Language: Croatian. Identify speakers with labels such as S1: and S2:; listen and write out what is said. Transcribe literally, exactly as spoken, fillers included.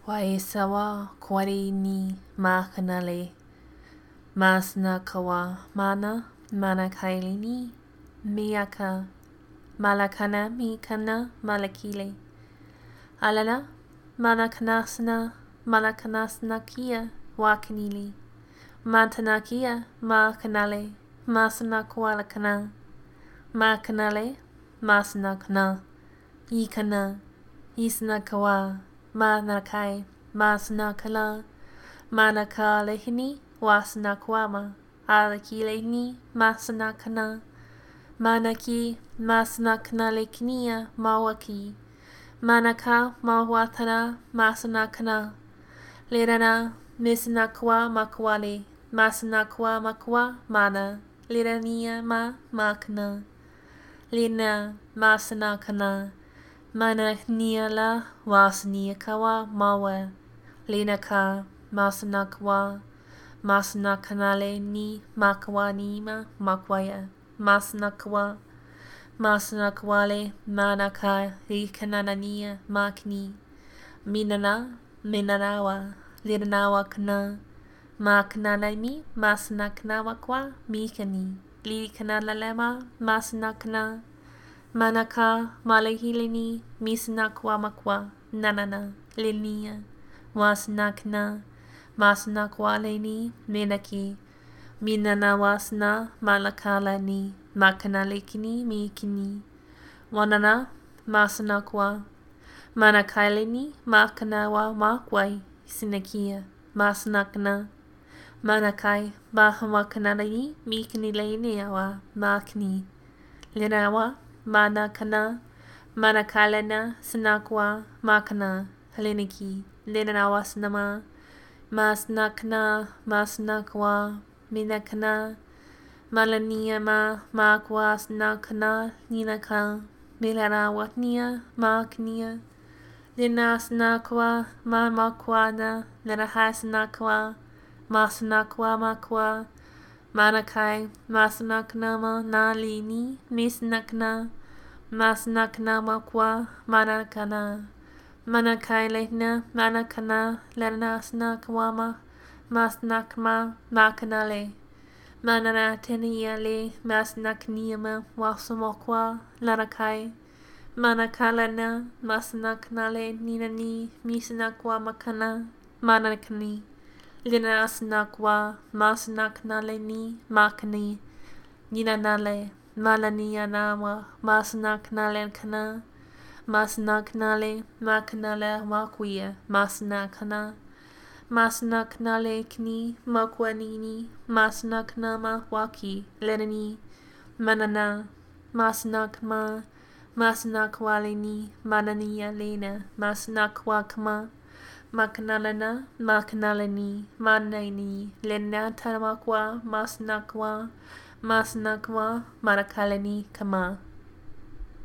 S1: Waisawa kwari ni makanale. Masna kawa mana mana kailini miyaka malakana mikana malakile. Alana malakanasna malakanasna kia wakanili. Mantanakia ma kanale masna kwalakana. Ma kanale masna kana. Ikana isna kawa. Manakai, masna kala, manaka lehini, wasna kwama, alaki lehini, masna kana, manaki, masna kana leknia, mawaki, manaka, mawatana, masna kana, lerana, misna kwa makwale, masna kwa makwa, mana, lerania ma, makna, lina, masna kana, Mana niala wasnia kawa mawa lena ka masna kwa masna kanale ni makwa nima makwaya masna kwa masna kwale mana ka ikanania makni minana minanawa liranawa kana maknana mi masna knawa kwa mikani li kanala lema masna kana Manaka malahilini misna kwa makwa nanana linia wasnakna masna kwa leni minaki minana wasna malakala ni makanalikini mikini wanana masna kwa manakailini makanawa makwai sinakia masnakna manakai mahawakanalini mikini leni awa makni linawa Mana kana, mana kalena, sanakwa, makana, haliniki, linawasnama, masnakna, masnakwa, minakana, malaniama, makwa, snakana, ninaka, milanawatnia, maknia, linasnakwa, mamakwana, linahasnakwa, masnakwa, makwa, Manakai, masnaknama, nalini, misnakna, masnakna makwa, manakana, manakai lehna, manakana, lenasna kwama, masnakma, makanale, manana teniale, masnakniama, wasamokwa, lanakai, manakalana, masnaknale, ninani, misnakwa makana, manakani. Linasnakwa masnaknaleni makani ninanale malanianawa masnaknale kana masnaknale makanale makwia masnakana masnaknale kni makwanini masnaknama waki lenani manana masnakma masnakwaleni manania lena masnakwakma Makanalana, makanalani, manani, lenatamakwa, masnakwa, masnakwa, marakalani, kama.